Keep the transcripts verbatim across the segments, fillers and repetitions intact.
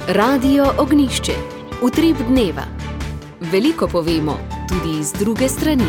Radio Ognjišče. Utrip dneva. Veliko povemo, tudi iz druge strani.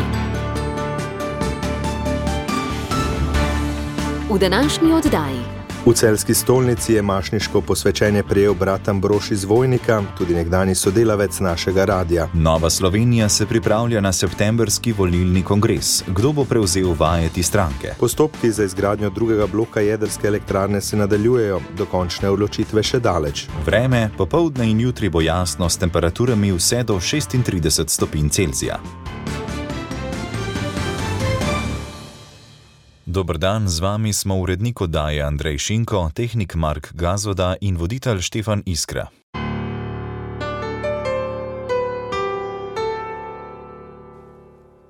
V današnji oddaji. V celjski stolnici je mašniško posvečenje prejel brat Ambrož iz Vojnika, tudi nekdanji sodelavec našega radia. Nova Slovenija se pripravlja na septembrski volilni kongres. Kdo bo prevzel vajeti stranke? Postopki za izgradnjo drugega bloka jedrske elektrarne se nadaljujejo, do končne odločitve še daleč. Vreme, popoldne in jutri bo jasno s temperaturami vse do šestintrideset stopinj Celzija. Dober dan, z vami smo urednik oddaje Andrej Šinko, tehnik Mark Gazvoda in voditelj Štefan Iskra.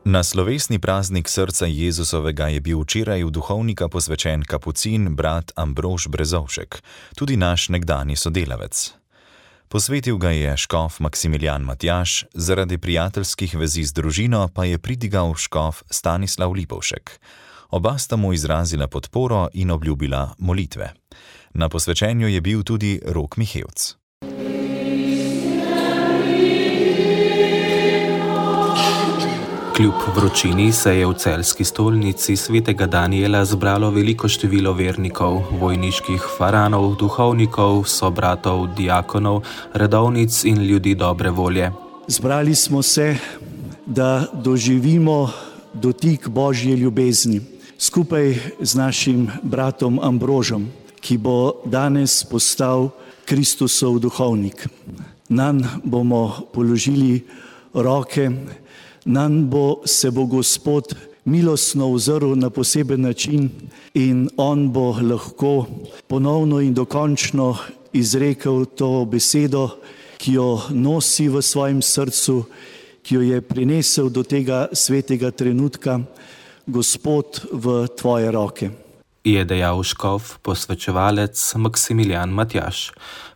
Na slovesni praznik srca Jezusovega je bil včeraj v duhovnika posvečen kapucin brat Ambrož Brezovšek, tudi naš nekdanji sodelavec. Posvetil ga je škof Maksimilijan Matjaž, zaradi prijateljskih vezi z družino pa je pridigal škof Stanislav Lipovšek. Oba sta mu izrazila podporo in obljubila molitve. Na posvečenju je bil tudi Rok Mihevc. Kljub vročini se je v celjski stolnici svetega Danijela zbralo veliko število vernikov, vojniških faranov, duhovnikov, sobratov, diakonov, redovnic in ljudi dobre volje. Zbrali smo se, da doživimo dotik Božje ljubezni. Skupaj z našim bratom Ambrožem, ki bo danes postal Kristusov duhovnik. Nanj bomo položili roke, nanj bo se bo Gospod milostno ozrl na poseben način in on bo lahko ponovno in dokončno izrekel to besedo, ki jo nosi v svojem srcu, ki jo je prinesel do tega svetega trenutka. Gospod, v tvoje roke. Je dejal škof posvečevalec Maksimilijan Matjaž.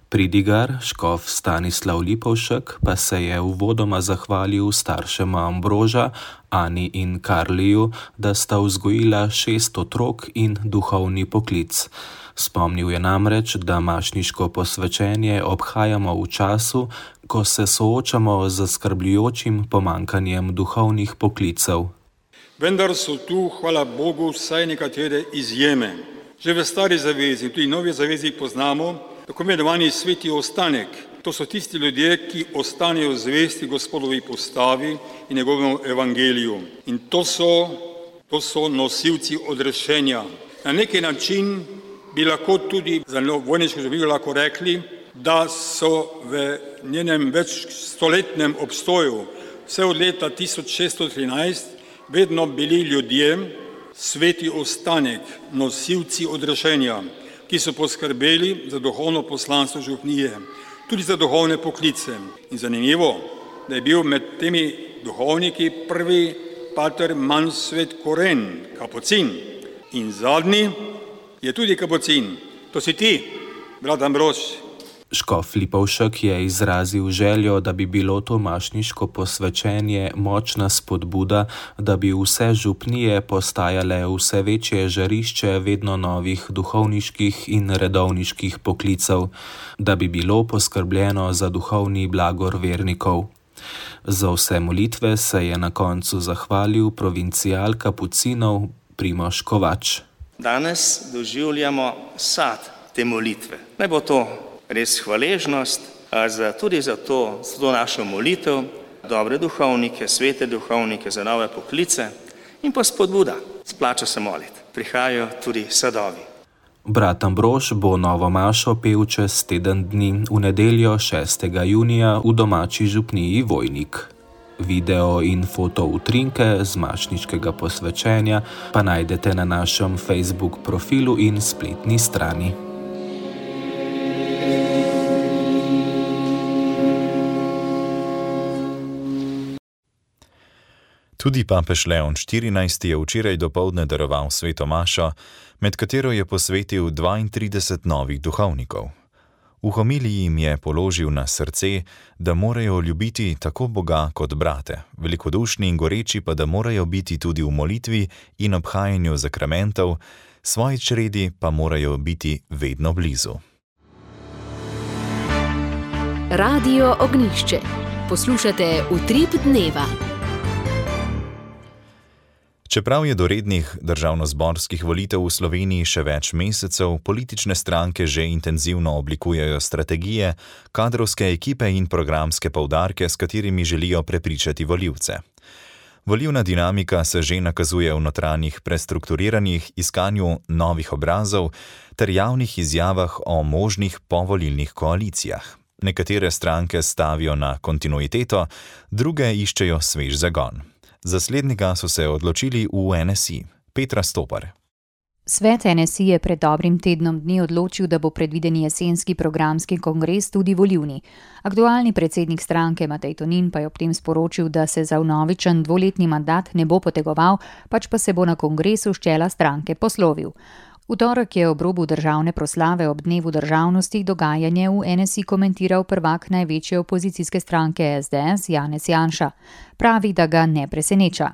Pridigar, škof Stanislav Lipovšek, pa se je uvodoma zahvalil staršema Ambroža, Ani in Karliju, da sta vzgojila šest otrok in duhovni poklic. Spomnil je namreč, da mašniško posvečenje obhajamo v času, ko se soočamo z zaskrbljujočim pomanjkanjem duhovnih poklicev. Vendar so tu, hvala Bogu, vsaj nekatere izjeme. Že v stari zavezi in tudi novi zavezi poznamo tako imenovani sveti ostanek. To so tisti ljudje, ki ostanejo zvesti Gospodovi postavi in njegovemu evangeliju. In to so, to so nosilci odrešenja. Na neki način bi lahko tudi za vojniško življenje lahko rekli, da so v njenem večstoletnem obstoju vse od leta tisoč šeststo trinajst vedno bili ljudje, sveti ostanek, nosilci odrešenja, ki so poskrbeli za duhovno poslanstvo župnije, tudi za duhovne poklice. In zanimivo, da je bil med temi duhovniki prvi pater Manfred Koren, kapucin. In zadnji je tudi kapucin. To si ti, brat Ambrož. Škof Lipovšek je izrazil željo, da bi bilo to mašniško posvečenje močna spodbuda, da bi vse župnije postajale vse večje žarišče vedno novih duhovniških in redovniških poklicev, da bi bilo poskrbljeno za duhovni blagor vernikov. Za vse molitve se je na koncu zahvalil provincial kapucinov Primož Kovač. Danes doživljamo sad te molitve. Naj bo to res hvaležnost, za, tudi za to, za to našo molitev, dobre duhovnike, svete duhovnike, za nove poklice in pa spodbuda. Splača se moliti. Prihajajo tudi sadovi. Brat Ambrož bo novo mašo pel čez teden dni v nedeljo šestega junija v domači župniji Vojnik. Video in foto utrinke z mašniškega posvečenja pa najdete na našem Facebook profilu in spletni strani. Tudi papež Leon štirinajsti je včeraj dopoldne daroval sveto mašo, med katero je posvetil dvaintrideset novih duhovnikov. V homiliji jim je položil na srce, da morajo ljubiti tako Boga kot brate, velikodušni in goreči pa da morajo biti tudi v molitvi in obhajanju zakramentov, svoji čredi pa morajo biti vedno blizu. Radio Ognjišče. Poslušate Utrip dneva. Čeprav je do rednih državnozborskih volitev v Sloveniji še več mesecev, politične stranke že intenzivno oblikujejo strategije, kadrovske ekipe in programske poudarke, s katerimi želijo prepričati volivce. Volilna dinamika se že nakazuje v notranjih prestrukturiranjih, iskanju novih obrazov ter javnih izjavah o možnih povolilnih koalicijah. Nekatere stranke stavijo na kontinuiteto, druge iščejo svež zagon. Za slednjega so se odločili v N S I. Petra Stopar. Svet N S I je pred dobrim tednom dni odločil, da bo predvideni jesenski programski kongres tudi volilni. Aktualni predsednik stranke Matej Tonin pa je ob tem sporočil, da se za vnovičen dvoletni mandat ne bo potegoval, pač pa se bo na kongresu s čela stranke poslovil. V torek je ob robu državne proslave ob dnevu državnosti dogajanje v N S I komentiral prvak največje opozicijske stranke S D S Janez Janša. Pravi, da ga ne preseneča.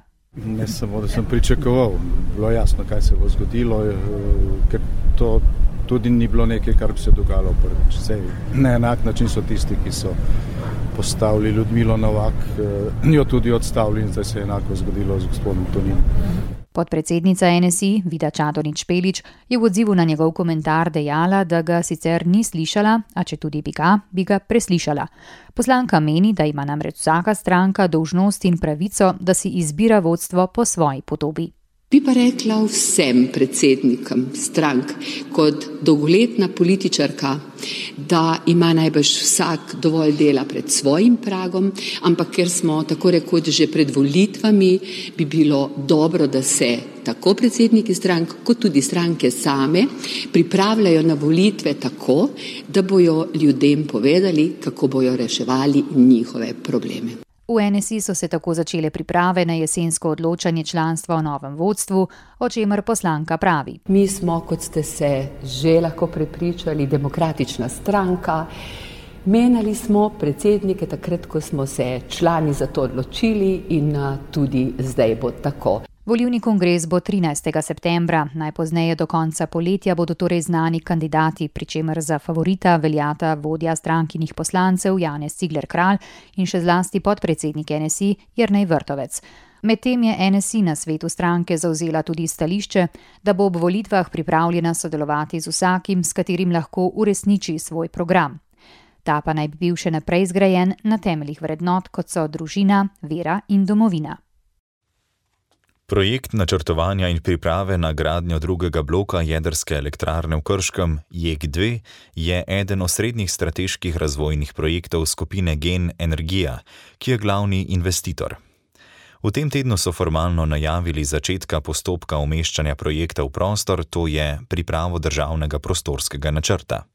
Ne samo, da sem pričakoval, bilo jasno, kaj se bo zgodilo, ker to tudi ni bilo nekaj, kar bi se dogajalo prvič. Sej, na enak način so tisti, ki so postavili Ljudmilo Novak, njo tudi odstavili in zdaj se je enako zgodilo z gospodom Toninom. Podpredsednica N S I, Vida Čadonič Špelič, je v odzivu na njegov komentar dejala, da ga sicer ni slišala, a če tudi bi ga, bi ga preslišala. Poslanka meni, da ima namreč vsaka stranka dolžnost in pravico, da si izbira vodstvo po svoji podobi. Bi pa rekla vsem predsednikom strank kot dolgoletna političarka, da ima najbrž vsak dovolj dela pred svojim pragom, ampak ker smo tako rekoč že pred volitvami, bi bilo dobro, da se tako predsedniki strank kot tudi stranke same pripravljajo na volitve tako, da bojo ljudem povedali, kako bojo reševali njihove probleme. V N S I so se tako začele priprave na jesensko odločanje članstva o novem vodstvu, o čemer poslanka pravi. Mi smo, kot ste se že lahko prepričali, demokratična stranka. Menjali smo predsednike takrat, ko smo se člani za to odločili in tudi zdaj bo tako. Volilni kongres bo trinajstega septembra, najpozneje do konca poletja bodo torej znani kandidati, pri čemer za favorita veljata vodja strankinih poslancev Janez Cigler Kralj in še zlasti podpredsednik N S I Jernej Vrtovec. Medtem je N S I na svetu stranke zavzela tudi stališče, da bo ob volitvah pripravljena sodelovati z vsakim, s katerim lahko uresniči svoj program. Ta pa naj bi bil še naprej zgrajen na temeljih vrednot, kot so družina, vera in domovina. Projekt načrtovanja in priprave na gradnjo drugega bloka jedrske elektrarne v Krškem, J E K dve, je eden osrednjih strateških razvojnih projektov skupine Gen Energija, ki je glavni investitor. V tem tednu so formalno najavili začetka postopka umeščanja projekta v prostor, to je pripravo državnega prostorskega načrta.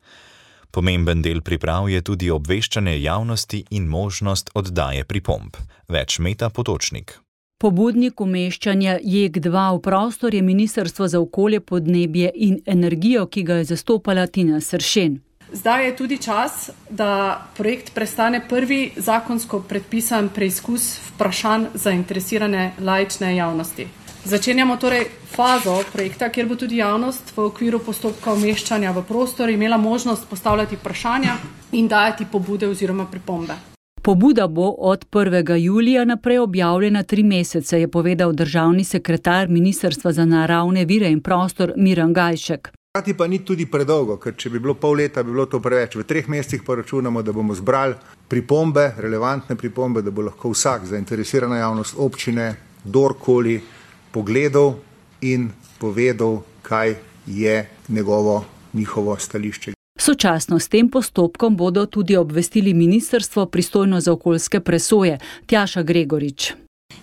Pomemben del priprav je tudi obveščanje javnosti in možnost oddaje pripomb. Več Meta Potočnik. Pobudnik umeščanja J E K dva v prostor je Ministrstvo za okolje, podnebje in energijo, ki ga je zastopala Tina Sršen. Zdaj je tudi čas, da projekt prestane prvi zakonsko predpisan preizkus vprašanj zainteresirane laične javnosti. Začenjamo torej fazo projekta, kjer bo tudi javnost v okviru postopka umeščanja v prostor imela možnost postavljati vprašanja in dajati pobude oziroma pripombe. Pobuda bo od prvega julija naprej objavljena tri mesece, je povedal državni sekretar Ministrstva za naravne vire in prostor Miran Gajšek. Hkrati pa ni tudi predolgo, ker če bi bilo pol leta, bi bilo to preveč. V treh mesecih pa računamo, da bomo zbrali pripombe, relevantne pripombe, da bo lahko vsak zainteresirana javnost, občine, kdorkoli pogledal in povedal, kaj je njegovo, njihovo stališče. Sočasno s tem postopkom bodo tudi obvestili ministrstvo pristojno za okoljske presoje, Tjaša Gregorič.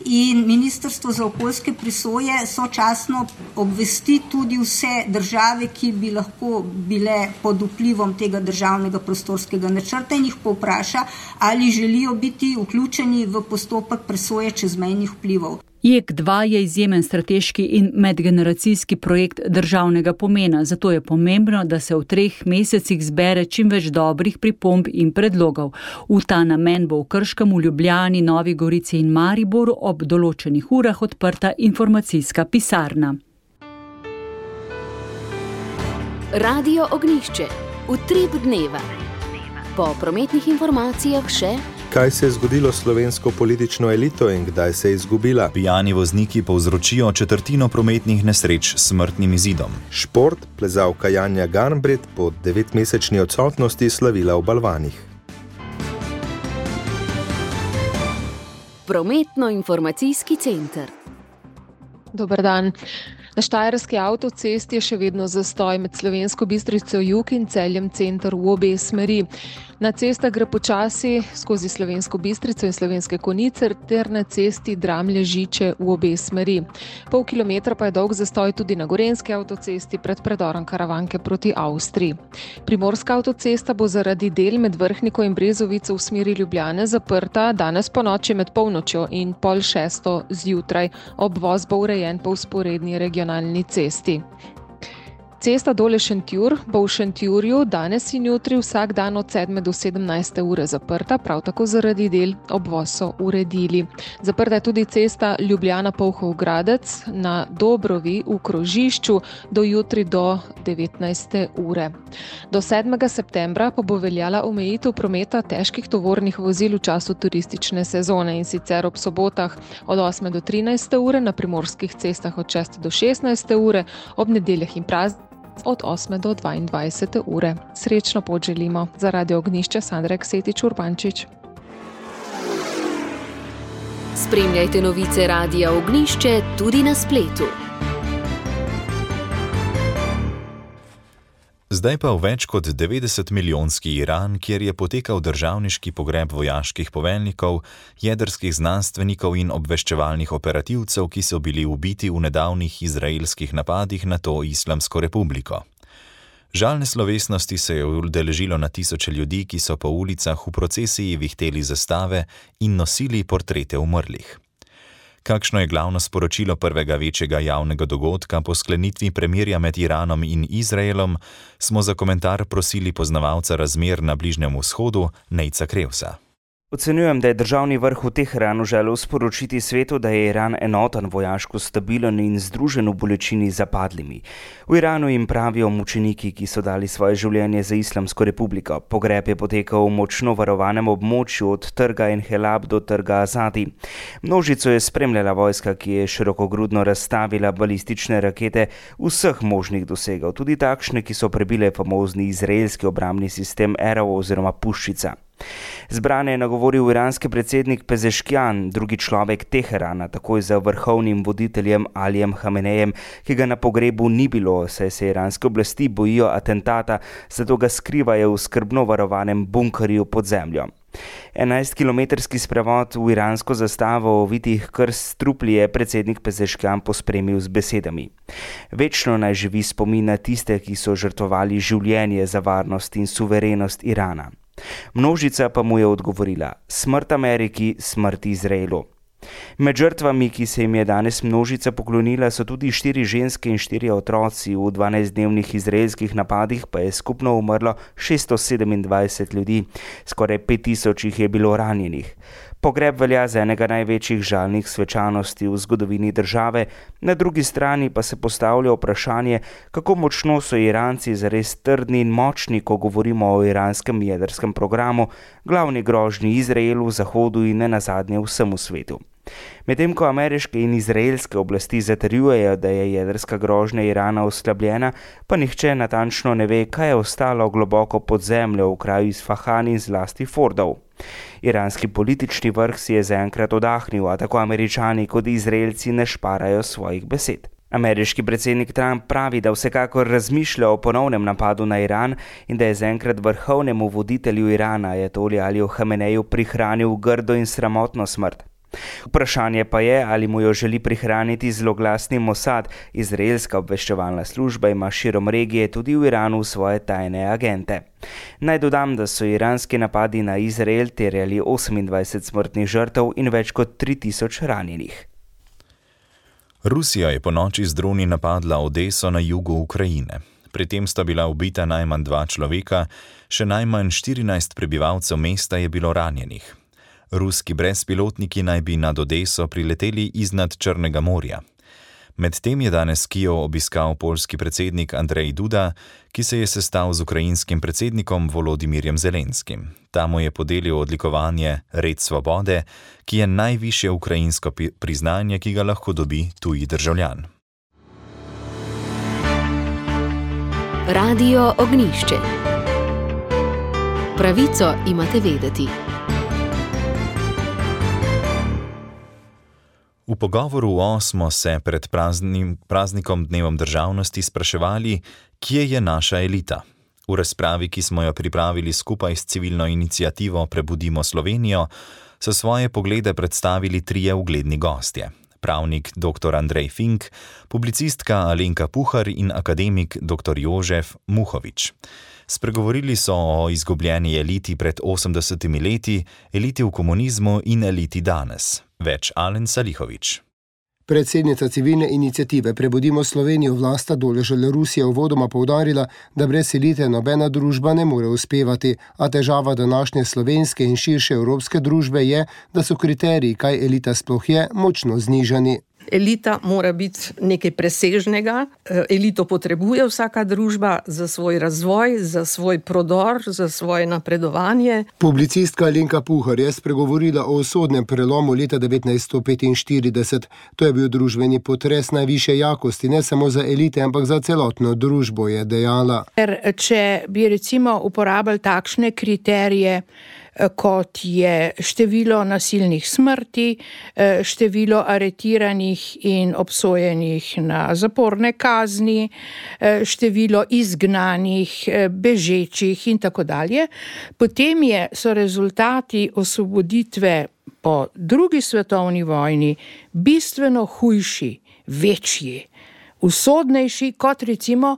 In Ministrstvo za okoljske presoje sočasno obvesti tudi vse države, ki bi lahko bile pod vplivom tega državnega prostorskega načrta in jih povpraša, ali želijo biti vključeni v postopek presoje čezmejnih vplivov. J E K dva je izjemen strateški in medgeneracijski projekt državnega pomena, zato je pomembno, da se v treh mesecih zbere čim več dobrih pripomb in predlogov. V ta namen bo v Krškem, v Ljubljani, Novi Gorici in Mariboru ob določenih urah odprta informacijska pisarna. Radio Ognjišče. Utrip dneva. Po prometnih informacijah še: kaj se je zgodilo s slovensko politično elito in kdaj se je izgubila? Pijani vozniki povzročijo četrtino prometnih nesreč s smrtnim izidom. Šport, plezalka Janja Garnbret po devetmesečni odsotnosti slavila v balvanih. Prometno-informacijski center. Dober dan. Na Štajerski avtocesti je še vedno zastoj med Slovensko Bistrico jug in Celjem center v obe smeri. Na cesta gre počasi skozi Slovensko Bistrico in Slovenske Konjice ter na cesti Dramlje-Žiče v obe smeri. Pol kilometra pa je dolg zastoj tudi na Gorenjski avtocesti pred predorom Karavanke proti Avstriji. Primorska avtocesta bo zaradi del med Vrhniko in Brezovico v smeri Ljubljane zaprta danes ponoči med polnočjo in pol šesto zjutraj. Obvoz bo urejen po vzporedni regionalni cesti. Cesta Dole-Šentjur bo v Šentjurju danes in jutri vsak dan od sedme do sedemnajste ure zaprta, prav tako zaradi del obvoz so uredili. Zaprta je tudi cesta Ljubljana-Polhov-Gradec na Dobrovi v krožišču do jutri do devetnajste ure. Do sedmega septembra pa bo veljala omejitev prometa težkih tovornih vozil v času turistične sezone in sicer ob sobotah od osme do trinajste ure, na primorskih cestah od šeste do šestnajste ure, ob nedeljah in praznikih od osme do dvaindvajsete ure. Srečno pot želimo. Za Radio Ognjišče Sandra Eksetič Urbančič. Spremljajte novice Radia Ognjišče tudi na spletu. Zdaj pa v več kot devetdeset milijonski Iran, kjer je potekal državniški pogreb vojaških poveljnikov, jedrskih znanstvenikov in obveščevalnih operativcev, ki so bili ubiti v nedavnih izraelskih napadih na to Islamsko republiko. Žalne slovesnosti se je udeležilo na tisoče ljudi, ki so po ulicah v procesiji vihteli zastave in nosili portrete umrlih. Kakšno je glavno sporočilo prvega večjega javnega dogodka po sklenitvi premirja med Iranom in Izraelom, smo za komentar prosili poznavalca razmer na Bližnjem vzhodu, Nejca Krevsa. Ocenjujem, da je državni vrh v Teheranu želel sporočiti svetu, da je Iran enoten, vojaško stabilen in združen v bolečini zapadlimi. V Iranu jim pravijo mučeniki, ki so dali svoje življenje za Islamsko republiko. Pogreb je potekal v močno varovanem območju od trga Enhelab do trga Azadi. Množico je spremljala vojska, ki je širokogrudno razstavila balistične rakete vseh možnih dosegov, tudi takšne, ki so prebile famozni izraelski obrambni sistem Arrow oziroma Puščica. Zbrane je nagovoril iranski predsednik Pezeškian, drugi človek Teherana, takoj za vrhovnim voditeljem Alijem Hamenejem, ki ga na pogrebu ni bilo, saj se iranske oblasti bojijo atentata, zato ga skrivajo v skrbno varovanem bunkerju pod zemljo. enajstkilometrski sprevod v iransko zastavo ovitih krst trupli je predsednik Pezeškian pospremil z besedami: večno naj živi spomin na tiste, ki so žrtvovali življenje za varnost in suverenost Irana. Množica pa mu je odgovorila: smrt Ameriki, smrt Izraelu. Med žrtvami, ki se jim je danes množica poklonila, so tudi štiri ženske in štirje otroci. V dvanajstdnevnih izraelskih napadih pa je skupno umrlo šeststo sedemindvajset ljudi, skoraj pet tisoč jih je bilo ranjenih. Pogreb velja za enega največjih žalnih svečanosti v zgodovini države, na drugi strani pa se postavlja vprašanje, kako močno so Iranci zares trdni in močni, ko govorimo o iranskem jedrskem programu, glavni grožnji Izraelu, Zahodu in nenazadnje vsemu svetu. Medtem ko ameriške in izraelske oblasti zatrjujejo, da je jedrska grožnja Irana oslabljena, pa nihče natančno ne ve, kaj je ostalo globoko pod zemljo v kraju Isfahan in zlasti Fordov. Iranski politični vrh si je zaenkrat odahnil, a tako Američani kot Izraelci ne šparajo svojih besed. Ameriški predsednik Trump pravi, da vsekakor razmišlja o ponovnem napadu na Iran in da je zaenkrat vrhovnemu voditelju Irana, ajatoli Aliju Hameneju, prihranil grdo in sramotno smrt. Vprašanje pa je, ali mu jo želi prihraniti zloglasni Mossad. Izraelska obveščevalna služba ima širom regije tudi v Iranu svoje tajne agente. Naj dodam, da so iranski napadi na Izrael terjali osemindvajset smrtnih žrtev in več kot tri tisoč ranjenih. Rusija je ponoči z droni napadla Odeso na jugu Ukrajine. Pri tem sta bila ubita najmanj dva človeka, še najmanj štirinajst prebivalcev mesta je bilo ranjenih. Ruski brezpilotniki naj bi nad Odeso prileteli iznad Črnega morja. Medtem je danes Kijev obiskal poljski predsednik Andrej Duda, ki se je sestal z ukrajinskim predsednikom Volodimirjem Zelenskim. Ta mu je podelil odlikovanje Red svobode, ki je najvišje ukrajinsko priznanje, ki ga lahko dobi tuji državljan. Radio Ognjišče. Pravico imate vedeti. V pogovoru o smo se pred praznim, praznikom Dnevom državnosti spraševali, kje je naša elita. V razpravi, ki smo jo pripravili skupaj s civilno iniciativo Prebudimo Slovenijo, so svoje poglede predstavili trije ugledni gostje. Pravnik doktor Andrej Fink, publicistka Alenka Puhar in akademik doktor Jožef Muhovič. Spregovorili so o izgubljeni eliti pred osemdesetimi leti, eliti v komunizmu in eliti danes. Več Alen Salihovič. Predsednica civilne iniciative Prebudimo Slovenijo Vlasta Doležal Rusija uvodoma poudarila, da brez elite nobena družba ne more uspevati, a težava današnje slovenske in širše evropske družbe je, da so kriteriji, kaj elita sploh je, močno znižani. Elita mora biti nekaj presežnega, elito potrebuje vsaka družba za svoj razvoj, za svoj prodor, za svoje napredovanje. Publicistka Alenka Puhar je spregovorila o usodnem prelomu leta devetnajststo petinštirideset. To je bil družbeni potres najvišje jakosti, ne samo za elite, ampak za celotno družbo, je dejala. Ker če bi recimo uporabljali takšne kriterije, kot je število nasilnih smrti, število aretiranih in obsojenih na zaporne kazni, število izgnanih, bežečih in tako dalje, potem je, so rezultati osvoboditve po drugi svetovni vojni bistveno hujši, večji, usodnejši kot recimo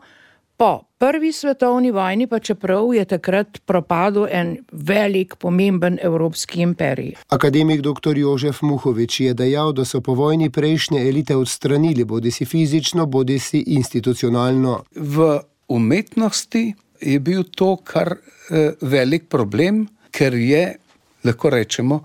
po prvi svetovni vojni, pa čeprav je takrat propadel en velik, pomemben evropski imperij. Akademik doktor Jožef Muhovič je dejal, da so po vojni prejšnje elite odstranili, bodisi fizično, bodisi institucionalno. V umetnosti je bil to kar eh, velik problem, ker je, lahko rečemo,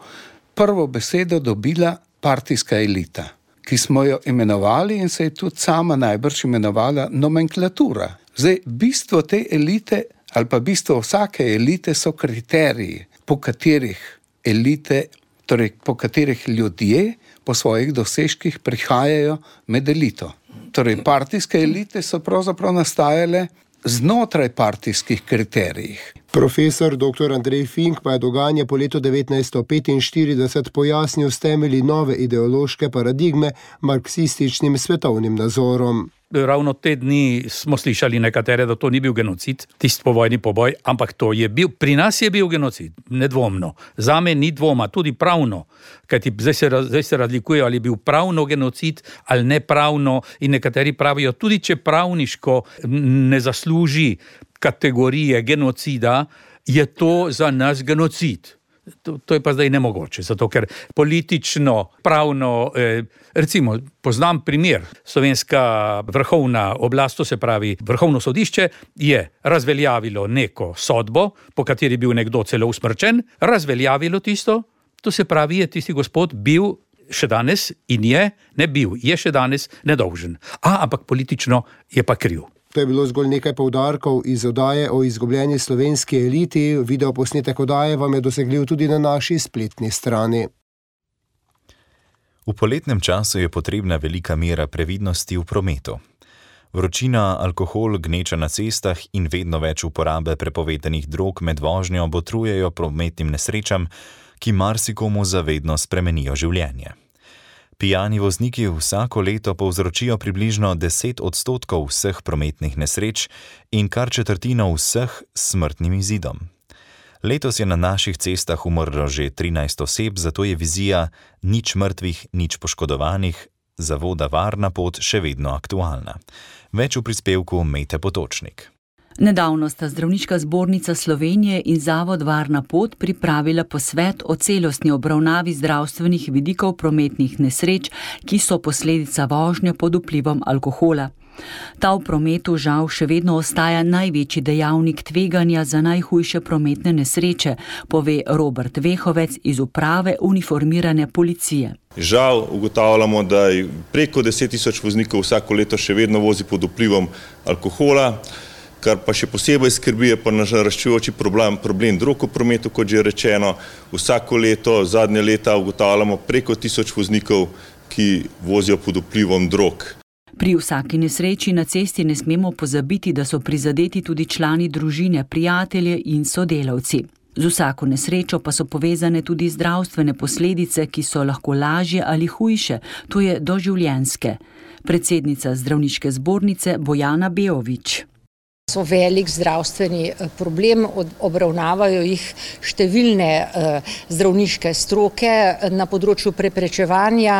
prvo besedo dobila partijska elita, ki smo jo imenovali in se je tudi sama najbrž imenovala nomenklatura. Zdaj, bistvo te elite ali pa bistvo vsake elite so kriteriji, po katerih elite, torej po katerih ljudje po svojih dosežkih prihajajo med elito. Torej, partijske elite so pravzaprav nastajale znotraj partijskih kriterijih. Profesor doktor Andrej Fink pa je dogajanje po letu devetnajststo petinštirideset pojasnil s temelji nove ideološke paradigme marksističnim svetovnim nazorom. Ravno te dni smo slišali nekatere, da to ni bil genocid, tisti povojni poboj, ampak to je bil, pri nas je bil genocid, nedvomno. Zame ni dvoma, tudi pravno, kajti zdaj se, zdaj se razlikuje, ali je bil pravno genocid ali nepravno, in nekateri pravijo, tudi če pravniško ne zasluži kategorije genocida, je to za nas genocid. To, to je pa zdaj nemogoče, zato ker politično, pravno, eh, recimo, poznam primer, slovenska vrhovna oblast, to se pravi vrhovno sodišče, je razveljavilo neko sodbo, po kateri je bil nekdo celo usmrčen, razveljavilo tisto, to se pravi, je tisti gospod bil še danes in je, ne bil, je še danes nedolžen. A, ampak politično je pa kriv. To je bilo zgolj nekaj poudarkov iz oddaje o izgubljeni slovenski eliti. Video posnetek oddaje vam je dosegljiv tudi na naši spletni strani. V poletnem času je potrebna velika mera previdnosti v prometu. Vročina, alkohol, gneča na cestah in vedno več uporabe prepovedanih drog med vožnjo botrujejo prometnim nesrečam, ki marsikomu zavedno spremenijo življenje. Pijani vozniki vsako leto povzročijo približno deset odstotkov vseh prometnih nesreč in kar četrtino vseh s smrtnim izidom. Letos je na naših cestah umrlo že trinajst oseb, zato je vizija nič mrtvih, nič poškodovanih zavoda Varna pot še vedno aktualna. Več v prispevku Mete Potočnik. Nedavno sta Zdravniška zbornica Slovenije in Zavod Varna pot pripravila posvet o celostni obravnavi zdravstvenih vidikov prometnih nesreč, ki so posledica vožnje pod vplivom alkohola. Ta v prometu žal še vedno ostaja največji dejavnik tveganja za najhujše prometne nesreče, pove Robert Vehovec iz uprave uniformirane policije. Žal ugotavljamo, da preko deset tisoč voznikov vsako leto še vedno vozi pod vplivom alkohola, kar pa še posebej skrbi je pa naraščujoči problem, problem drog v prometu, kot že rečeno. Vsako leto, zadnje leta ugotavljamo preko tisoč voznikov, ki vozijo pod vplivom drog. Pri vsaki nesreči na cesti ne smemo pozabiti, da so prizadeti tudi člani družine, prijatelje in sodelavci. Z vsako nesrečo pa so povezane tudi zdravstvene posledice, ki so lahko lažje ali hujše, to je doživljenjske. Predsednica zdravniške zbornice Bojana Beovič. So velik zdravstveni problem, obravnavajo jih številne zdravniške stroke na področju preprečevanja,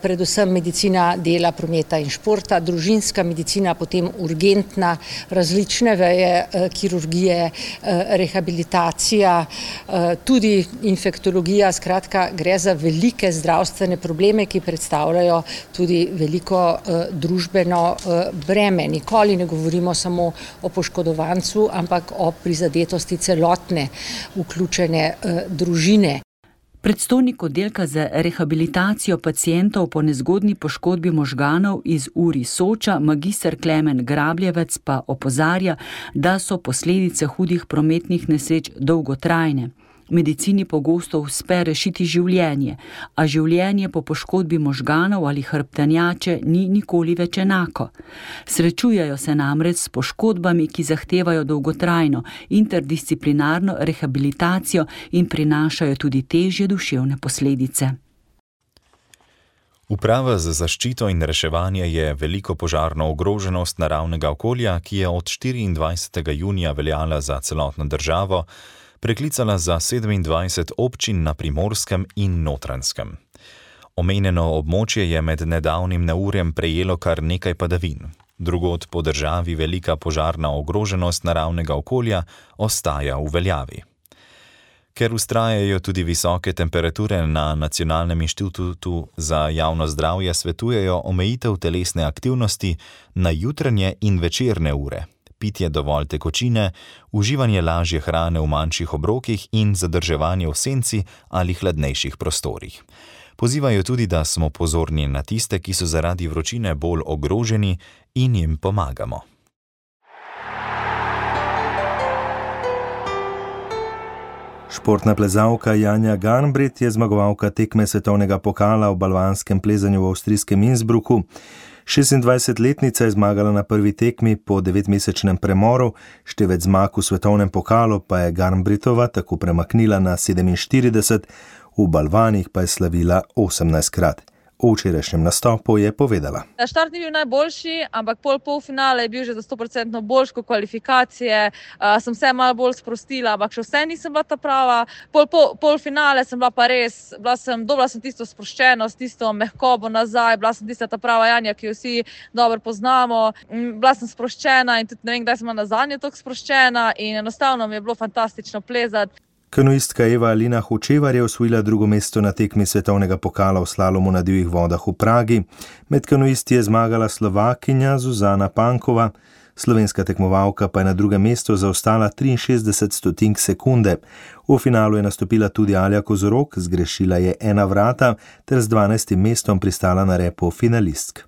predvsem medicina dela, prometa in športa, družinska medicina, potem urgentna, različne veje, kirurgije, rehabilitacija, tudi infektologija, skratka gre za velike zdravstvene probleme, ki predstavljajo tudi veliko družbeno breme. Nikoli ne govorimo samo o poškodovancu, ampak o prizadetosti celotne vključene eh, družine. Predstojnik oddelka za rehabilitacijo pacientov po nezgodni poškodbi možganov iz U R I Soča, magister Klemen Grabljevec, pa opozarja, da so posledice hudih prometnih nesreč dolgotrajne. Medicini pogosto uspe rešiti življenje, a življenje po poškodbi možganov ali hrbtenjače ni nikoli več enako. Srečujejo se namreč s poškodbami, ki zahtevajo dolgotrajno, interdisciplinarno rehabilitacijo in prinašajo tudi težje duševne posledice. Uprava za zaščito in reševanje je veliko požarno ogroženost naravnega okolja, ki je od štiriindvajsetega junija veljala za celotno državo, preklicala za sedemindvajset občin na Primorskem in Notranjskem. Omenjeno območje je med nedavnim neurjem prejelo kar nekaj padavin. Drugod po državi velika požarna ogroženost naravnega okolja ostaja v veljavi. Ker vztrajajo tudi visoke temperature, na Nacionalnem inštitutu za javno zdravje svetujejo omejitev telesne aktivnosti na jutranje in večerne ure, pitje dovolj tekočine, uživanje lažje hrane v manjših obrokih in zadrževanje v senci ali hladnejših prostorih. Pozivajo tudi, da smo pozorni na tiste, ki so zaradi vročine bolj ogroženi in jim pomagamo. Športna plezalka Janja Garnbret je zmagovalka tekme svetovnega pokala v balvanskem plezanju v avstrijskem Innsbrucku. šestindvajsetletnica je zmagala na prvi tekmi po devetmesečnem premoru, števec zmag v svetovnem pokalu pa je Garnbretova tako premaknila na sedeminštirideset, v balvanih pa je slavila osemnajstkrat. O včerajšnjem nastopu je povedala. Štart ni bil najboljši, ampak pol polfinale je bil že za sto procentno boljši kot kvalifikacije. Uh, sem se malo bolj sprostila, ampak še vse nisem bila ta prava. Pol, pol, polfinale sem bila pa res, bila sem, dobila sem tisto sproščenost, tisto mehkobo nazaj, bila sem tista ta prava Janja, ki jo vsi dobro poznamo. Bila sem sproščena in tudi ne vem, kdaj sem bila nazadnje tako sproščena in enostavno mi je bilo fantastično plezati. Kanuistka Eva Alina Hočevar je osvojila drugo mesto na tekmi svetovnega pokala v slalomu na divjih vodah v Pragi. Med kanuisti je zmagala Slovakinja Zuzana Pankova, slovenska tekmovalka pa je na drugem mestu zaostala triinšestdeset stotink sekunde. V finalu je nastopila tudi Alja Kozorog, zgrešila je ena vrata ter z dvanajstim mestom pristala na repu finalistk.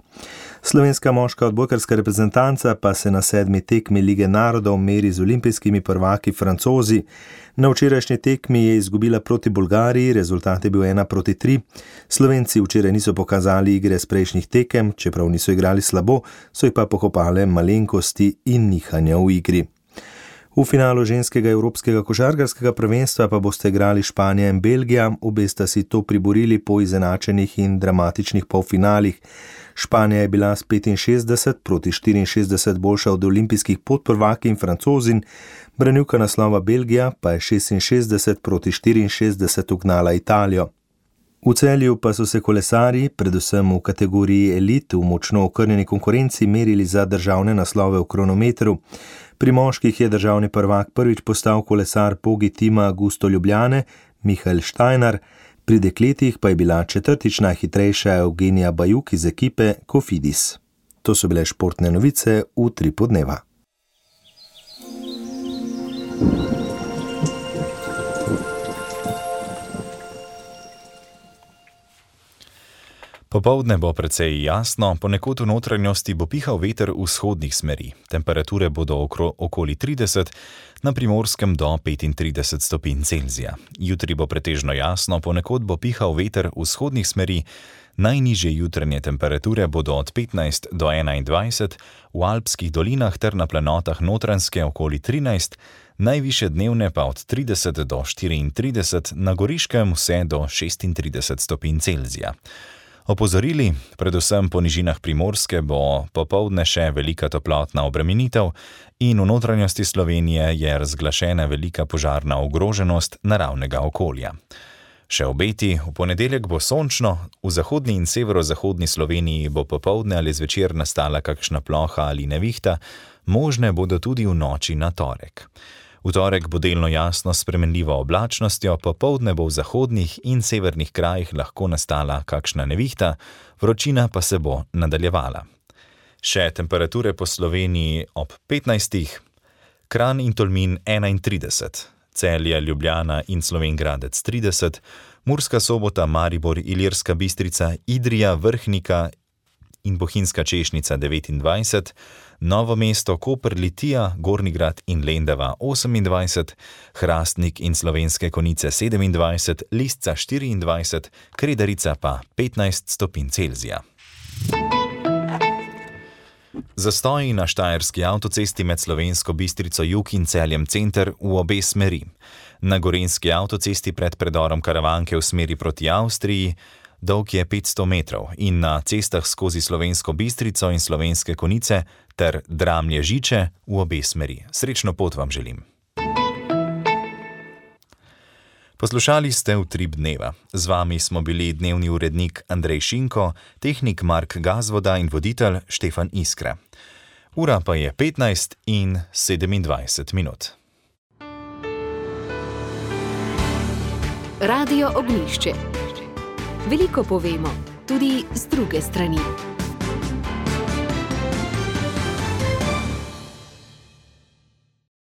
Slovenska moška odbojkarska reprezentanca pa se na sedmi tekmi Lige narodov meri z olimpijskimi prvaki Francozi. Na včerajšnji tekmi je izgubila proti Bolgariji, rezultat je bil ena proti tri. Slovenci včeraj niso pokazali igre s prejšnjih tekem, čeprav niso igrali slabo, so jih pa pokopale malenkosti in nihanja v igri. V finalu ženskega evropskega košarkarskega prvenstva pa boste igrali Španija in Belgija, obe sta si to priborili po izenačenih in dramatičnih polfinalih. Španija je bila s petinšestdeset proti štiriinšestdeset boljša od olimpijskih podprvakinj Francozin, branilka naslova Belgija pa je šestinšestdeset proti štiriinšestdeset ugnala Italijo. V Celju pa so se kolesarji, predvsem v kategoriji elit, v močno okrnjeni konkurenci merili za državne naslove v kronometru. Pri moških je državni prvak prvič postal kolesar Pogi tima Augusto Ljubljane, Mihael Štajnar, pri dekletih pa je bila četrtič najhitrejša Eugenija Bajuk iz ekipe Cofidis. To so bile športne novice v Utripu dneva. Popoldne bo precej jasno, ponekod v notranjosti bo pihal veter vzhodnih smeri. Temperature bodo okro, okoli trideset, na Primorskem do petintrideset stopinj Celzija. Jutri bo pretežno jasno, ponekod bo pihal veter vzhodnih smeri. Najnižje jutranje temperature bodo od petnajst do enaindvajset, v alpskih dolinah ter na planotah Notranjske okoli trinajst, najvišje dnevne pa od trideset do štiriintrideset, na Goriškem vse do šestintrideset stopinj Celzija. Opozorili, predvsem po nižinah Primorske bo popoldne še velika toplotna obremenitev in v notranjosti Slovenije je razglašena velika požarna ogroženost naravnega okolja. Še obeti, v ponedeljek bo sončno, v zahodni in severozahodni Sloveniji bo popoldne ali zvečer nastala kakšna ploha ali nevihta, možne bodo tudi v noči na torek. V torek bo delno jasno s spremenljivo oblačnostjo, popoldne bo v zahodnih in severnih krajih lahko nastala kakšna nevihta, vročina pa se bo nadaljevala. Še temperature po Sloveniji ob petnajstih, Kranj in Tolmin enaintrideset, Celje, Ljubljana in Slovenj Gradec trideset, Murska Sobota, Maribor, Ilirska Bistrica, Idrija, Vrhnika in Bohinjska Češnica devetindvajset, Novo mesto, Koper, Litija, Gornji Grad in Lendava osemindvajset, Hrastnik in Slovenske Konjice sedemindvajset, Lisca štiriindvajset, Kredarica pa petnajst stopinj Celzija. Zastoji na štajerski avtocesti med Slovensko Bistrico jug in Celjem center v obe smeri. Na gorenjski avtocesti pred predorom Karavanke v smeri proti Avstriji dolg je petsto metrov in na cestah skozi Slovensko Bistrico in Slovenske Konjice ter Dramlje-Žiče v obe smeri. Srečno pot vam želim. Poslušali ste Utrip dneva. Z vami smo bili dnevni urednik Andrej Šinko, tehnik Mark Gazvoda in voditelj Štefan Iskra. Ura pa je petnajst in sedemindvajset minut. Radio Ognjišče. Veliko povemo, tudi z druge strani.